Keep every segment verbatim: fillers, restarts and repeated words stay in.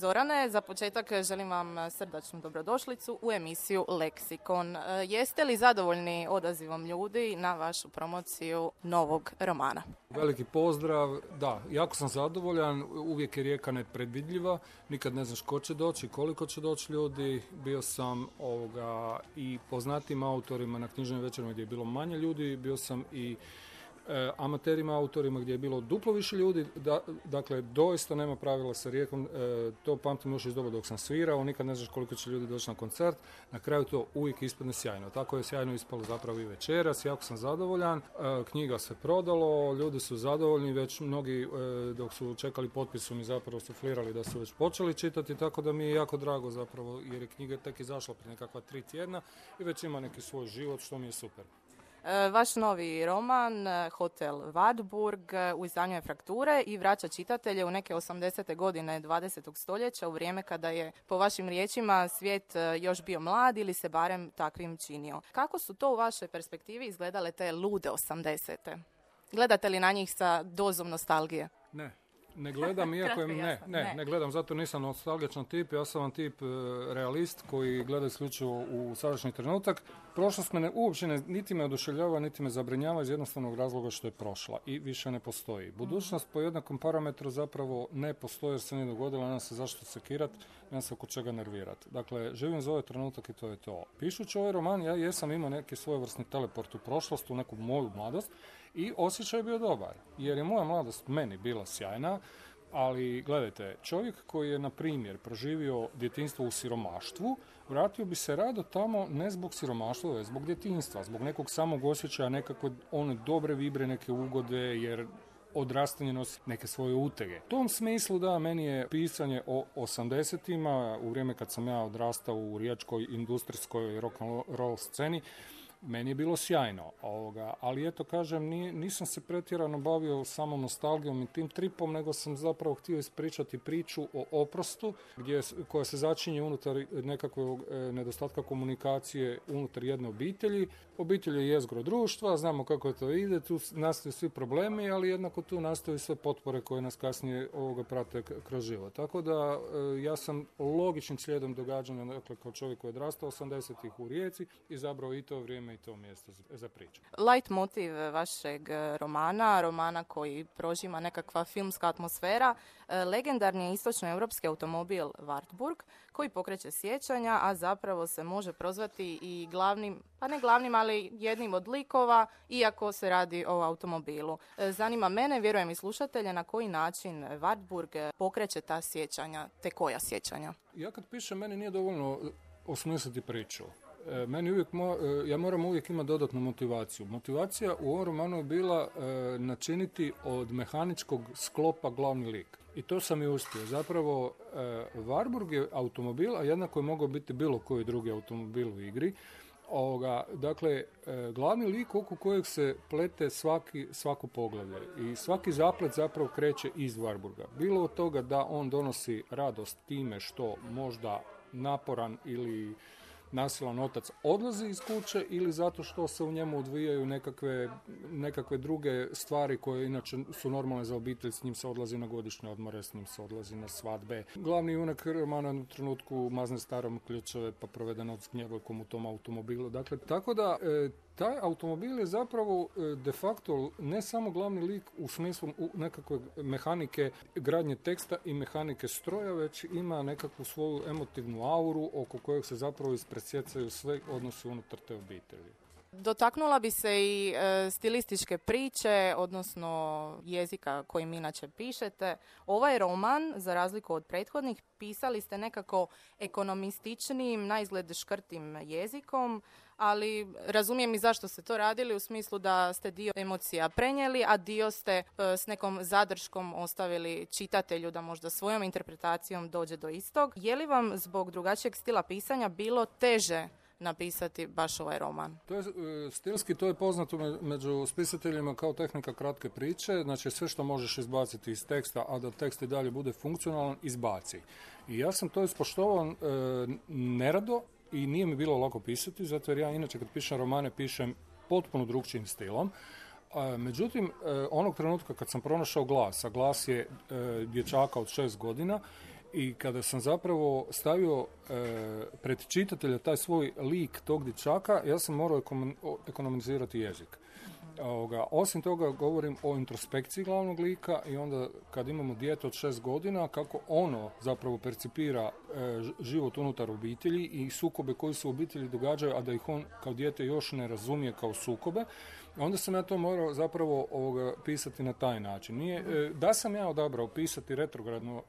Zorane, za početak želim vam srdačnu dobrodošlicu u emisiju Leksikon. Jeste li zadovoljni odazivom ljudi na vašu promociju novog romana? Veliki pozdrav, da, jako sam zadovoljan, uvijek je Rijeka nepredvidljiva, nikad ne znaš ko će doći, koliko će doći ljudi, bio sam ovoga, i poznatim autorima na knjižnim večerima gdje je bilo manje ljudi, bio sam i E, amaterima, autorima gdje je bilo duplo više ljudi, da, dakle doista nema pravila sa Rijekom, e, to pamtim još iz doba dok sam svirao, nikad ne znaš koliko će ljudi doći na koncert, na kraju to uvijek ispadne sjajno, tako je sjajno ispalo zapravo i večeras, jako sam zadovoljan, e, knjiga se prodalo, ljudi su zadovoljni, već mnogi e, dok su čekali potpis su mi zapravo suflirali da su već počeli čitati, tako da mi je jako drago zapravo jer je knjiga tek izašla prije nekakva tri tjedna i već ima neki svoj život što mi je super. Vaš novi roman, Hotel Wartburg, u izdanju je Frakture i vraća čitatelje u neke osamdesete godine dvadesetog stoljeća, u vrijeme kada je, po vašim riječima, svijet još bio mlad ili se barem takvim činio. Kako su to u vašoj perspektivi izgledale te lude osamdesete? Gledate li na njih sa dozom nostalgije? Ne. Ne gledam, iako je, ne, ne, ne gledam, zato nisam nostalgičan tip, ja sam vam tip e, realist koji gleda isključivo u sadašnji trenutak. Prošlost me ne, uopće ne, niti me oduševljava, niti me zabrinjava iz jednostavnog razloga što je prošla i više ne postoji. Budućnost po jednakom parametru zapravo ne postoji jer se nije dogodila, nema se zašto sekirat, nema se oko čega nervirat. Dakle, živim za ovaj trenutak i to je to. Pišući ovaj roman, ja jesam imao neki svojevrsni teleport u prošlost, u neku moju mladost, i osjećaj je bio dobar, jer je moja mladost meni bila sjajna, ali gledajte, čovjek koji je, na primjer, proživio djetinjstvo u siromaštvu, vratio bi se rado tamo ne zbog siromaštva, već zbog djetinjstva, zbog nekog samog osjećaja, nekakve one dobre vibre, neke ugode, jer odrastanje nosi neke svoje utege. U tom smislu, da, meni je pisanje o osamdesetima, u vrijeme kad sam ja odrastao u riječkoj industrijskoj rock and roll sceni, meni je bilo sjajno, ovoga, ali eto kažem, nije, nisam se pretjerano bavio samom nostalgijom i tim tripom, nego sam zapravo htio ispričati priču o oprostu, gdje, koja se začinje unutar nekakvog e, nedostatka komunikacije unutar jedne obitelji. Obitelj je jezgro društva, znamo kako to ide, tu nastaju svi problemi, ali jednako tu nastaju sve potpore koje nas kasnije ovoga prate kroz život. Tako da e, ja sam logičnim slijedom događanja, dakle kao čovjek koji je odrastao osamdesetih u Rijeci, izabrao i to vrijeme i to mjesto za priču. Light motiv vašeg romana, romana koji prožima nekakva filmska atmosfera, legendarni je istočnoeuropski automobil Wartburg, koji pokreće sjećanja, a zapravo se može prozvati i glavnim, pa ne glavnim, ali jednim od likova, iako se radi o automobilu. Zanima mene, vjerujem i slušatelje, na koji način Wartburg pokreće ta sjećanja, te koja sjećanja? Ja kad pišem, meni nije dovoljno osmisliti priču. Meni uvijek, mo, ja moram uvijek imati dodatnu motivaciju. Motivacija u ovom romanu je bila e, načiniti od mehaničkog sklopa glavni lik. I to sam i uspio. Zapravo, e, Wartburg je automobil, a jednako je mogao biti bilo koji drugi automobil u igri. Ovoga, dakle, e, glavni lik oko kojeg se plete svaki, svako poglavlje i svaki zaplet zapravo kreće iz Wartburga. Bilo od toga da on donosi radost time što možda naporan ili nasilan otac odlazi iz kuće ili zato što se u njemu odvijaju nekakve, nekakve druge stvari koje inače su normalne za obitelj, s njim se odlazi na godišnje odmore, s njim se odlazi na svadbe. Glavni junak romana u trenutku mazne starom ključeve pa provede noć s gnjevojkom u tom automobilu. Dakle, tako da e, taj automobil je zapravo e, de facto ne samo glavni lik u smislu u nekakve mehanike gradnje teksta i mehanike stroja, već ima nekakvu svoju emotivnu auru oko kojeg se zapravo ispresjecaju sve odnosi unutar te obitelji. Dotaknula bi se i e, stilističke priče, odnosno jezika kojim inače pišete. Ovaj roman, za razliku od prethodnih, pisali ste nekako ekonomističnijim, naizgled škrtim jezikom, ali razumijem i zašto ste to radili, u smislu da ste dio emocija prenijeli, a dio ste e, s nekom zadrškom ostavili čitatelju da možda svojom interpretacijom dođe do istog. Je li vam zbog drugačijeg stila pisanja bilo teže napisati baš ovaj roman? To je, stilski to je poznato među spisateljima kao tehnika kratke priče, znači sve što možeš izbaciti iz teksta, a da tekst i dalje bude funkcionalan, izbaci. I ja sam to ispoštovao e, nerado i nije mi bilo lako pisati, zato jer ja inače kad pišem romane pišem potpuno drugčijim stilom. E, međutim, e, onog trenutka kad sam pronašao glas, a glas je e, dječaka od šest godina, I kada sam zapravo stavio e, pred čitatelja taj svoj lik tog dječaka, ja sam morao ekonomizirati jezik. Ovoga, osim toga govorim o introspekciji glavnog lika i onda kad imamo dijete od šest godina, kako ono zapravo percipira e, život unutar obitelji i sukobe koji se u obitelji događaju, a da ih on kao dijete još ne razumije kao sukobe. Onda sam ja to morao zapravo ovoga pisati na taj način. Nije, e, da sam ja odabrao pisati retrogradno e,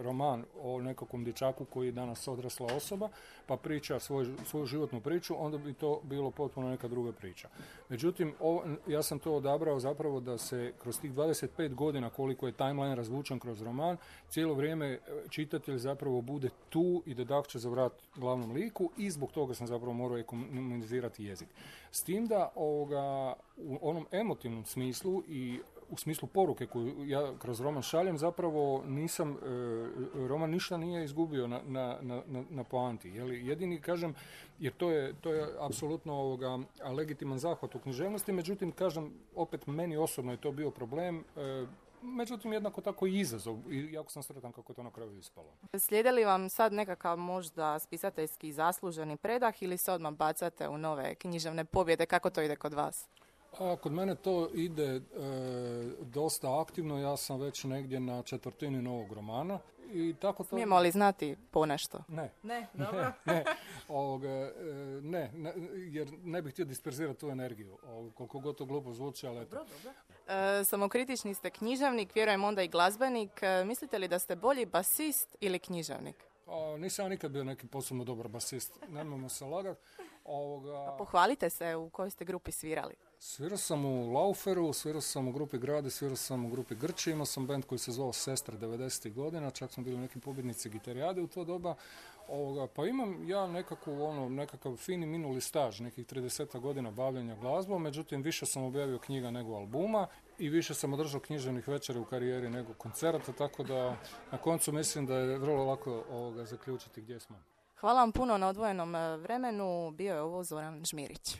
roman o nekakvom dječaku koji je danas odrasla osoba, pa priča svoj, svoju životnu priču, onda bi to bilo potpuno neka druga priča. Međutim, o, ja sam to odabrao zapravo da se kroz tih dvadeset pet godina koliko je timeline razvučen kroz roman, cijelo vrijeme čitatelj zapravo bude tu i da dakće za vrat glavnom liku i zbog toga sam zapravo morao ekonomizirati jezik. S tim da ovoga, u onom emotivnom smislu i u smislu poruke koju ja kroz roman šaljem, zapravo nisam, e, roman ništa nije izgubio na, na, na, na poanti. Jeli? Jedini, kažem, jer to je, to je apsolutno ovoga, legitiman zahvat u književnosti, međutim, kažem, opet meni osobno je to bio problem, e, međutim, jednako tako i izazov i jako sam sretan kako je to na kraju ispalo. Slijede li vam sad nekakav možda spisateljski zasluženi predah ili se odmah bacate u nove književne pobjede? Kako to ide kod vas? A, kod mene to ide e, dosta aktivno, ja sam već negdje na četvrtini novog romana. I tako to... Smijemo li znati ponešto? Ne. Ne, dobro. Ne, ne, ovoga, e, ne, ne, jer ne bih htio disperzirati tu energiju, o, koliko god to glupo zvuči, ali eto. Dobro, dobro. E, samokritični ste književnik, vjerujem onda i glazbenik. E, mislite li da ste bolji basist ili književnik? A, nisam ja nikad bio neki posebno dobar basist, nemojmo se lagati. Ovoga... A pohvalite se u kojoj ste grupi svirali. Svirao sam u Lauferu, svirao sam u grupi Grade, svirao sam u grupi Grči, imao sam band koji se zvao Sestre devedesetih godina, čak smo bili neki pobjednici gitarijade u to doba. Ovoga, pa imam ja nekakvu, ono, nekakav fini minuli staž, nekih trideset godina bavljenja glazbom, međutim više sam objavio knjiga nego albuma i više sam održao književnih večera u karijeri nego koncerata, tako da na koncu mislim da je vrlo lako ovoga, zaključiti gdje smo. Hvala vam puno na odvojenom vremenu, bio je ovo Zoran Žmirić.